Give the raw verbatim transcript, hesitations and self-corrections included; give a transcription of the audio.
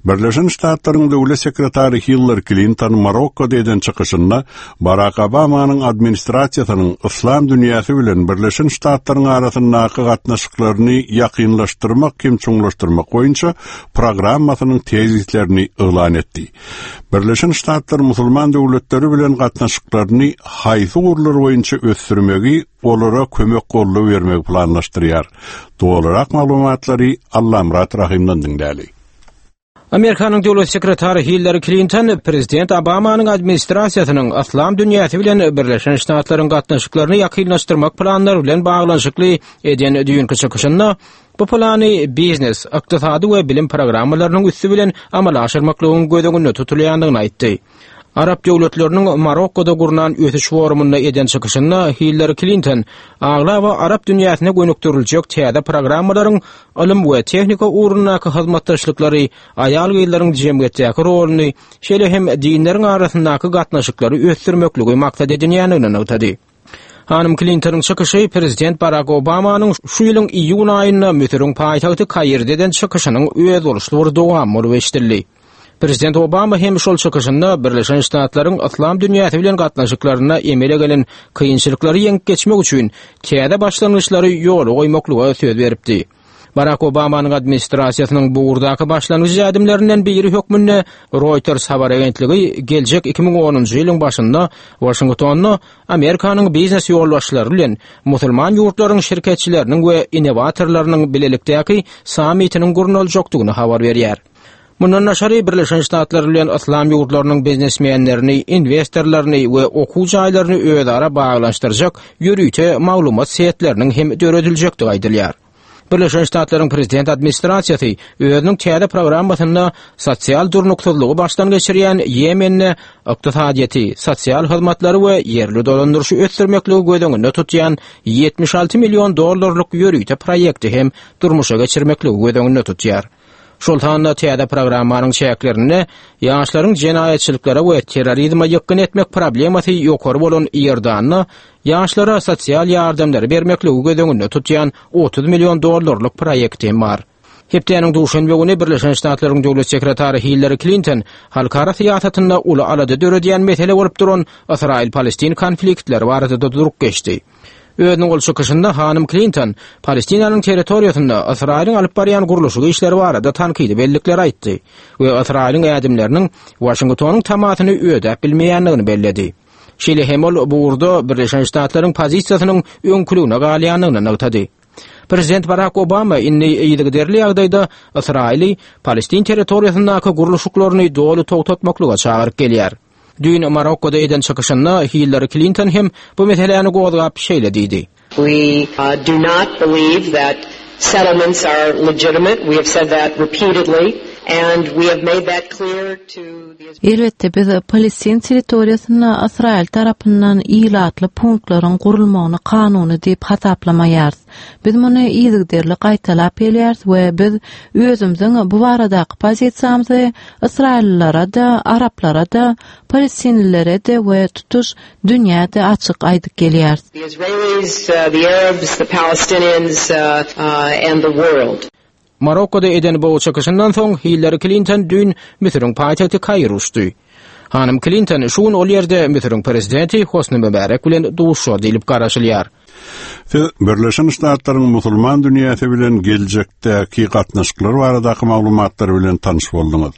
Birleşen Ştatlaryň döwlet sekretary Hillary Klinton Marokkoda eden çykyşynda Barak Obamanyň administrasiýasynyň Yslam dünýäsi bilen Birleşen Ştatlaryň arasyndaky gatnaşyklaryny ýakynlaşdyrmak hem çuňlaşdyrmak boýunça programmasynyň tezislerini yglan etdi. Birleşen Ştatlar musulman döwletleri bilen gatnaşyklaryny haýsy ugurlar boýunça ösdürmegi, olara kömek goldaw bermegi planlaşdyrýar. Dolurak maglumatlary Allamyrat Rahymdan diňläli. Amerikanyň döwlet sekretary Hillary Klinton prezident Obamanyň administrasiýasynyň Yslam dünýäsi bilen Birleşen Ştatlaryň gatnaşyklaryny ýakynlaşdyrmak planlary bilen baglanyşykly eden düýnki çykyşynda bu plany biznes, ykdysady we bilim programmalarynyň üsti bilen amala aşyrmaklygyň göz öňünde tutulýandygyny aýtdy. Arap döwletleriniň Marokkoda gurnan ösüş forumynda eden çykyşynda Hillary Klinton aglaba Arap dünýäsine gönükdiriljek täze programmalaryň ylym we tehnika ugrundaky hyzmatdaşlyklary, aýal-gyzlaryň jemgyýetdäki roluny, şeýle hem dinleriň arasyndaky gatnaşyklary ösdürmekligi maksat edinýändigini nygtady. Hanym Klintonyň çykyşy prezident Barak Obamanyň şu ýylyň iýun aýynda Müsüriň paýtagty Kairde eden çykyşynyň özboluşly bir dowamy bolup eşidildi. Prezident Obama hem şol çykyşynda Birleşen Ştatlaryň Yslam dünýäsi bilen gatnaşyklarynda emele gelen kynçylyklary ýeňip geçmek üçin täze başlangyçlary ýola goýmaklyga söz beripdi. Barak Obamanyň administrasiýasynyň bu ugurdaky başlangyç ädimlerinden biri hökmünde Reuters habar agentligi geljek iki müň onunjy ýylyň başynda Waşingtonda Amerikanyň biznes ýolbaşçylary bilen musulman ýurtlaryň şirketçileriniň we innowatorlarynyň bilelikdäki sammitiniň gurnaljakdygyny habar berýär. Mundan daşary Birleşen Ştatlar bilen Yslam ýurtlarynyň biznesmenlerini, investorlaryny we okuw jaýlaryny özara baglanyşdyrjak ýörite maglumat setleriniň hem dörediljekdigi aýdylýar. Birleşen Ştatlaryň prezident administrasiýasy özüniň täze programmasynda sosial durnuksyzlygy başdan geçirýän Ýemende ykdysadyýeti, sosial hyzmatlary we ýerli dolandyryşy ösdürmekligi göz öňünde tutýan ýetmiş alty million dollarlyk ýörite proýekti hem durmuşa geçirmekligi göz öňünde tutýar. Şol sanda täze programmanyň çäklerinde ýaşlaryň jenaýatçylyklara we terrorizme ýykgyn etmek problemasy ýokary bolan Iordanda ýaşlara sosial ýardamlary bermekligi göz öňünde tutýan otuz million dollarlyk proýekti hem bar. Hepdäniň duşenbe güni Birleşen Ştatlaryň döwlet sekretary Hillary Klinton halkara syýasatynda uly alada döredýän mesele bolup duran Ysraýyl-Palestin konfliktleri barada da durup geçdi. Özüniň ol çykyşynda hanym Klinton Palestinanyň territoriýasynda Ysraýylyň alyp barýan gurluşyk işleri barada tankydy bellikler aýtdy we Ysraýylyň ädimleriniň Waşingtonyň tamasyny ödäp bilmeýändigini belledi. Şeýle hem ol bu ugurda Birleşen Ştatlaryň pozisiýasynyň öňküligine galýandygyny nygtady. Prezident Barak Obama indi yzygiderli ýagdaýda Ysraýyly Palestin territoriýasyndaky gurluşyklaryny doly togtatmaklyga çagyryp gelýär. Düýn Marokkoda eden çykyşynda Hillary Klinton hem bu meseläni gozgap şeýle diýdi. We, uh, do not believe that settlements are legitimate. We have said that repeatedly and we have made that clear to the Elbetde biz Palestin territoriýasynda Ysraýyl tarapyndan ilatly punktlaryň gurulmagyny kanuny diýip hasaplamaýarys. Biz muny yzygiderli gaýtalap gelýäris we biz özümiziň bu baradaky pozisiýamyzy Ysraýyllylara da, Araplara da, Palestinlilere de we tutuş dünýäde açyk aýdyp gelýäris. The Israelis, uh, the Arabs, the Palestinians, uh, uh, and the world. Marokkoda eden bu çykyşyndan soň Hillary Klinton düýn Müsüriň paýtagty Kair uçdy. Hanym Klinton şu gün ol ýerde Müsüriň prezidenti Hosni Mübarek bilen duşuşar diýlip garaşylýar. Siz Birleşen Ştatlaryň musulman dünýäsi bilen geljekdäki gatnaşyklar baradaky maglumatlar bilen tanyş bolduňyz.